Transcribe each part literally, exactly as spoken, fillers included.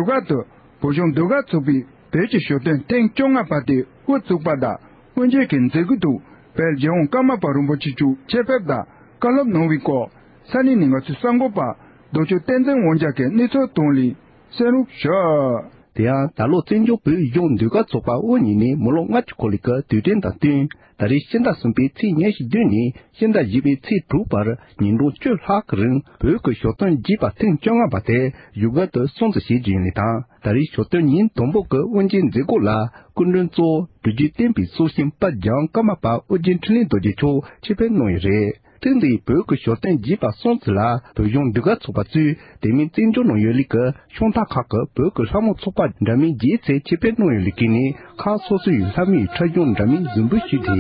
བཞུགས་སྒར་དུ་བོད་གཞུང་ཟློས་གར་ཚོགས་པའི་བོད་ཀྱི་ཞོ་སྟོན་ཐེངས་བཅོ་ལྔ་པ་དེ་དབུ་བཙུགས་པ་དང་། དབུ་འབྱེད་ཀྱི་མཛད་སྒོའི་ཐོག་བོད་རྒྱལ་ཡོངས་ཀརྨ་པ་རིན་པོ་ཆེ་མཆོག་ཆེད་ཕེབས་དང་བཀའ་སློབ་གནང་བའི་སྐོར་ས་གནས་ནས་ང་ཚོའི་གསར་འགོད་པ་རྡོ་ཆུ་བསྟན་འཛིན་དབང་རྒྱལ་གྱིས་གནས་ཚུལ་བཏང་ལས་གསན་རོགས་ཞུ། དེ་ཡང་ད་ལོ་བཙན་བྱོལ་བོད་གཞུང་ཟློས་གར་ཚོགས་པ་དབུ་བརྙེས་ནས་མི་ལོ་ལྔ་བཅུ་འཁོར་ལོའི་སྐབས་དུས་དྲན་དང་བསྟུན། ད་རེས་ཕྱི་ཟླ་གསུམ་པའི་ཚེས་ཉེར་བདུན་ནས་ཕྱི་ཟླ་བཞི་པའི་ཚེས་དྲུག་བར་ཉིན་གྲངས་བཅུ་ལྷག་གི་རིང་བོད་ཀྱི་ཞོ་སྟོན་རྒྱས་པ་ཐེངས་བཅོ་ལྔ་པ་དེ་བཞུགས་སྒར་དུ་སྲུང་བརྩི་བྱེད་རྒྱུ་ཡིན་ལུགས་དང་། ད་རེས་ཞོ་སྟོན་ཉིན་དང་པོ་གི་དབུ་འབྱེད་མཛད་སྒོ་ལ་སྐུ་མགྲོན་གཙོ་བོ་སྒྲུབ་བརྒྱུད་བསྟན་པའི་སྲོག་ཤིང་དཔལ་རྒྱལ་ཀརྨ་པ་ཨོ་རྒྱན་འཕྲིན་ལས་རྡོ་རྗེ་མཆོག་ཆེད་ཕེབས་གནང་ཡོད་རེད། ཐེངས་འདིའི་བོད་ཀྱི་ཞོ་སྟོན་རྒྱས་པ་སྲུང་བརྩི་ལ་བོད་གཞུང་ཟློས་གར་ཚོགས་པ་གཙོས་དེ་མིན་བཙན་བྱོལ་ནང་ཡོད་ལུགས་ཀྱི་ཤོང་སྟག་ཁག་གི་བོད་ཀྱི་ལྷ་མོ་ཚོགས་པ་འདྲ་མིན་བརྒྱད་ཙམ་ཆེད་ཕེབས་གནང་ཡོད་ལུགས་ཀྱི་ནི་ཁག་སོ་སོའི་ལྷ་མོའི་འཁྲབ་གཞུང་འདྲ་མིན་གཟིགས་འབུལ་ཞུས་ཏེ།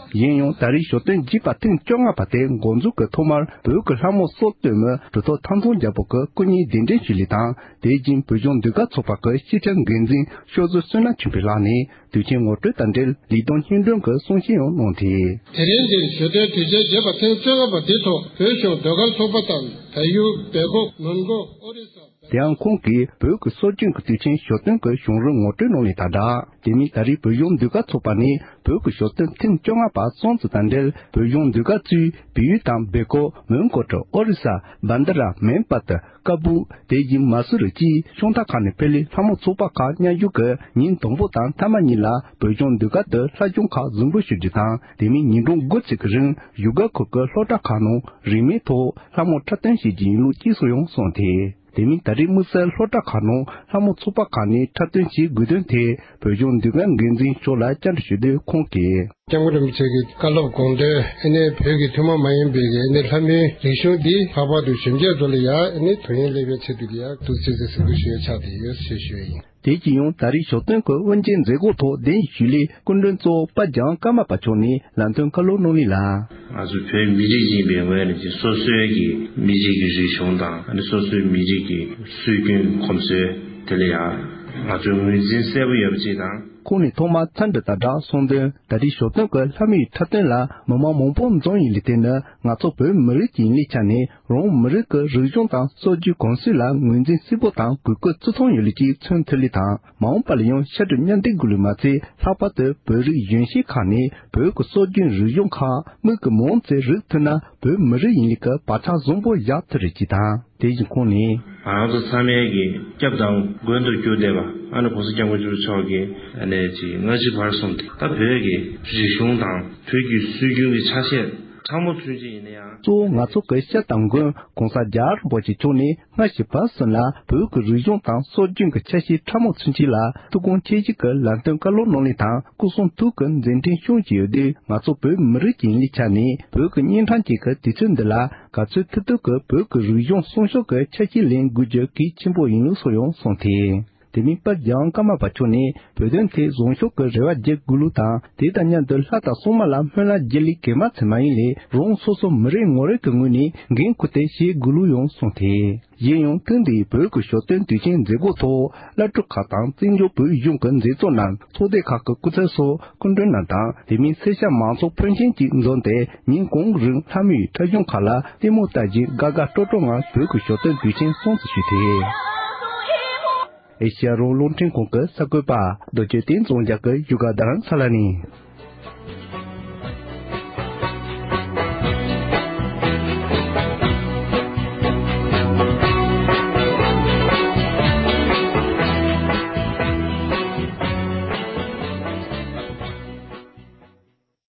གཞན་ཡང་ད་རེས་ཞོ་སྟོན་རྒྱས་པ་ཐེངས་བཅོ་ལྔ་པ་དེ་འགོ་འཛུགས་ཀྱི་ཐོག་མར་བོད་ཀྱི་ལྷ་མོ་སྲོལ་གཏོད་མི་གྲུབ་ཐོབ་ཐང་སྟོང་རྒྱལ་པོ་གིས་སྐུ་བརྙན་གདན་འདྲེན་ཞུས་ལུགས་དང་། དེ་བཞིན་བོད་གཞུང་ཟློས་གར་ཚོགས་པ་གི་སྤྱི་ཁྱབ་འགན་འཛིན་ཤོ་ཟུར་བསོད་ནམས་ཆོས་འཕེལ་ལགས་ནས་དུས་ཆེན་ངོ་སྤྲོད་དང་འབྲེལ་ལས་དོན་སྙན་སྒྲོན་གྱི་གསུང་བཤད་ཡང་གནང་སྟེ། དེ་རིང་འདིར་ཞོ་སྟོན་དུས་ཆེན་རྒྱས་པ་ཐེངས་བཅོ་ལྔ་པ་འདིའི་ཐོག་བོད་གཞུང་ཟློས་གར་ཚོགས་པ་དང་བལ་ཡུལ་སྦེལ་ཀོབ་མོན་གྷོ་ཨོ་རི་ས། དེ་ཡང་ཁོང་གིས་བོད་ཀྱི་སྲོལ་རྒྱུན་གྱི་དུས་ཆེན་ཞོ་སྟོན་གྱི་བྱུང་རིམ་ངོ་སྤྲོད་གནང་ལུགས་དང་སྦྲགས། དེ་མིན་ད་རེས་བོད་གཞུང་ཟློས་གར་ཚོགས་པ་ནས་བོད་ཀྱི་ཞོ་སྟོན་ཐེངས་བཅོ་ལྔ་པ་སྲུང་བརྩི་དང་འབྲེལ་བོད་གཞུང་ཟློས་གར་གཙོས་བལ་ཡུལ་དང་སྦེལ་ཀོབ། མོན་གྷོ་ཁྲོད་ཨོ་རི་ས། བན་དྷ་ར། མེན་པད། ཀ་སྦུག་དེ་བཞིན་མ་སུ་རི་བཅས་ཤོང་སྟག་ཁག་ནས་ཕེབས་ལས་ལྷ་མོ་ཚོགས་པ་ཁག་མཉམ་ཞུགས་ཀྱིས་ཉིན་དང་པོ་དང་མཐའ་མ་གཉིས་ལ་བོད་གཞུང་ཟློས་གར་དུ་ལྷ་གཞུང་ཁག་གཟིགས་འབུལ་ཞུ་རྒྱུ་དང་། དེ་མིན་ཉིན་གྲངས་དགུ་ཙམ་གྱི་རིང་བཞུགས་སྒར་ཁུལ་གྱི་སློབ་གྲྭ་ཁག་ནང་རིན་མེད་ཐོག་ལྷ་མོ་འཁྲབ་སྟོན་བྱེད་རྒྱུ་ཡིན་ལུགས་སྐྱེལ་སྲོལ་ཡང་གསུངས་ཏེ། དེ་མིན་ད་རེས་དམིགས་བསལ་སློབ་གྲྭ་ཁག་ནང་ལྷ་མོ་ཚོགས་པ་ཁག་ནས་འཁྲབ་སྟོན་བྱེད་དགོས་དོན་ཐད་བོད་གཞུང་ཟློས་གར་འགན་འཛིན་མཆོག་ལ་བཅར་འདྲི་ཞུས་དུས་ཁོང་གིས། སྐྱབས་མགོན་རིན་པོ་ཆེ་གི་བཀའ་སློབ་དགོངས་དོན་ཨ་ནི་བོད་ཀྱི་ཐུན་མོང་མ་ཡིན་པའི་ཨ་ནི་ལྷ་མོའི་རིག་གཞུང་འདི་ལྷག་པར་དུ་གཞོན་སྐྱེས་ཚོ་ལ་ཡང་ཨ་ནི་དོན་སྙིང་སླེབས་པའི་ཆེད་དུ་ཡང་ཐུགས་རྗེ་ཆེ་ཟེར་གྱི་ཞུ་ཡ་ཆགས་བསྡད་ཡོད་ཞེས་ཞུ་ཡ་ཡིན། དེ་བཞིན་ཡང་ད་རེས་ཞོ་སྟོན་གྱི་དབུ་འབྱེད་མཛད་སྒོ་ཐོག་གདན་ཞུས་ལས་སྐུ་མགྲོན་གཙོ་བོ་དཔལ་རྒྱལ་ཀརྨ་པ་མཆོག་ནས་ལམ་སྟོན་བཀའ་སློབ་གནང་ལུགས་ལ། ང་ཚོ་བོད་མི་རིགས་ཡིན་པའི་ངོས་ནས་ཀྱི་སོ་སོའི་གི་མི་རིགས་ཀྱི་རིག་གཞུང་དང་ཨ་ནི་སོ་སོའི་མི་རིགས་ཀྱི་སྲོལ་རྒྱུན་གོམས་སྲོལ་དེ་ལ་ཡང་ང་ཚོའི་ངོས་འཛིན་གསལ་པོ་ཡོད་པ་ཅིག་དང་། ཁོང་ནས་ཐོག་མར་འཚམས་འདྲི་དང་སྦྲགས་གསུངས་དོན། ད་རེས་ཞོ་སྟོན་གྱི་ལྷ་མོའི་འཁྲབ་སྟོན་ལ་མི་མང་མང་པོ་འཛོམས་ཡོད་ལུགས་དེ་ནི་ང་ཚོ་བོད་མི་རིགས་ཀྱི་ཡིན་ལུགས་ཆ་ནས་རང་མི་རིགས་ཀྱི་རིག་གཞུང་དང་སྲོལ་རྒྱུན་གོམས་སྲོལ་ལ་ངོས་འཛིན་གསལ་པོ་དང་གུས་བཀུར་བརྩི་མཐོང་ཡོད་ལུགས་ཀྱིས་མཚོན་ཐུབ་ལུགས་དང་། མ་འོངས་པ་ལ་ཡང་ཤ་གྲུ་མཉམ་འདེགས་དགོས་ལུགས་མ་ཚད་ལྷག་པར་དུ་བོད་རིགས་གཞོན་སྐྱེས་ཁག་ནས་བོད་ཀྱི་སྲོལ་རྒྱུན་རིག་གཞུང་ཁག་མིག་གིས་མང་ཙམ་རིག་ཐུབ་ན་བོད་མི་རིགས་ཡིན་ལུགས་ཀྱི་བག་ཆགས་བཟང་པོ་བཞག་ཐུབ་རེད་ཅེས་དང་། དེ་བཞིན་ཁོང་ནས། ང་རང་ཚོ་ཚང་མས་ཀྱི་སྐྱབས་དང་མགོན་དུ་གྱུར་བསྡད་པ་ཨ་ནི་གོང་ས་སྐྱབས་མགོན་ཆེན་པོ་མཆོག་གི་ཨ་ནི་ཅིག་སྔ་ཕྱི་བར་གསུམ་དེ་ད་བོད་ཀྱི་རིག་གཞུང་དང་བོད་ཀྱི་སྲོལ་རྒྱུན་གྱི་ཆ་ཤས་ཕྲ་མོ་ཚུན་ཆད་ཡིན་ན་ཡང་། གཙོ་བོ་ང་ཚོ་གི་སྐྱབས་དང་མགོན་གོང་ས་རྒྱལ་བ་རིན་པོ་ཆེ་མཆོག་ནས་སྔ་ཕྱི་བར་གསུམ་ལ་བོད་ཀྱི་རིག་གཞུང་དང་སྲོལ་རྒྱུན་གྱི་ཆ་ཤས་ཕྲ་མོ་ཚུན་ཆད་ལ་ཐུགས་དགོངས་ཆེ་བཞེས་ཀྱི་ལམ་སྟོན་བཀའ་སློབ་གནང་ལུགས་དང་སྐུ་གསུང་ཐུགས་ཀྱི་མཛད་འཕྲིན་སྐྱོང་བཞིན་ཡོད་དུས། ང་ཚོ་བོད་མི་རིགས་ཀྱི་ཡིན་ལུགས་ཆ་ནས་བོད་ཀྱི་གཉན་འཕྲང་ཅན་གྱི་དུས་ཚོད་འདི་ལ་ག་ཚོད་ཐུབ་ཐུབ་ཀྱིས་བོད་ཀྱི་རིག་གཞུང་སྲུང་སྐྱོབ་ཀྱི་ཆ་ཤས་ལེན་དགོས་རྒྱུ་གལ་ཆེན་པོ་ཡིན་ལུགས་སོགས་ཡང་གསུངས་ཏེ། དེ་མིན་དཔལ་རྒྱལ་ཀརྨ་པ་མཆོག་ནས་བོད་དོན་ཐད་བཟང་ཕྱོགས་ཀྱི་རེ་བ་རྒྱག་དགོས་ལུགས་དང་། དེ་དང་མཉམ་དུ་ལྷ་དང་སྲུང་མ་ལ་སྨོན་ལམ་རྒྱག་ལས་གས་མ་ཚད་མ་ཡིན་ལས་རང་སོ་སོ་མི་རེ་ངོ་རེ་གི་ངོས་ནས་འགན་འཁུར་ཏེ་བྱེད་དགོས་ལུགས་ཡང་གསུངས་ཏེ། གཞན་ཡང་ཐེངས་འདིའི་བོད་ཀྱི་ཞོ་སྟོན་དུས་ཆེན་མཛད་སྒོ་ཐོག་བླ་སྤྲུལ་ཁག་དང་བཙན་བྱོལ་བོད་གཞུང་གི་མཛད་གཙོ་རྣམས་ཚོགས་སྡེ་ཁག་གི་སྐུ་ཚབ་སོགས་སྐུ་མགྲོན་རྣམས་དང་། དེ་མིན་སེར་སྐྱ་མང་ཚོགས་ཕོན་ཆེན་གྱིས་འཛོམས་ཏེ་ཉིན་གང་རིང་ལྷ་མོའི་འཁྲབ་གཞུང་ཁག་ལ་ལྟད་མོ་ལྟ་བཞིན་དགའ་དགའ་སྤྲོ་སྤྲོ་ངང་བོད་ཀྱི་ཞོ་སྟོན་དུས་ཆེན་སྲུང་བརྩི་ཞུས་ཏེ། ཨེ་ཤ་ཡ་རང་དབང་རླུང་འཕྲིན་ཁང་གི་གསར་འགོད་པ་རྡོ་རྗེ་བསྟན་འཛིན་རྒྱལ་གྱི་བཞུགས་སྒར་རྡ་རམ་ས་ལ་ནས།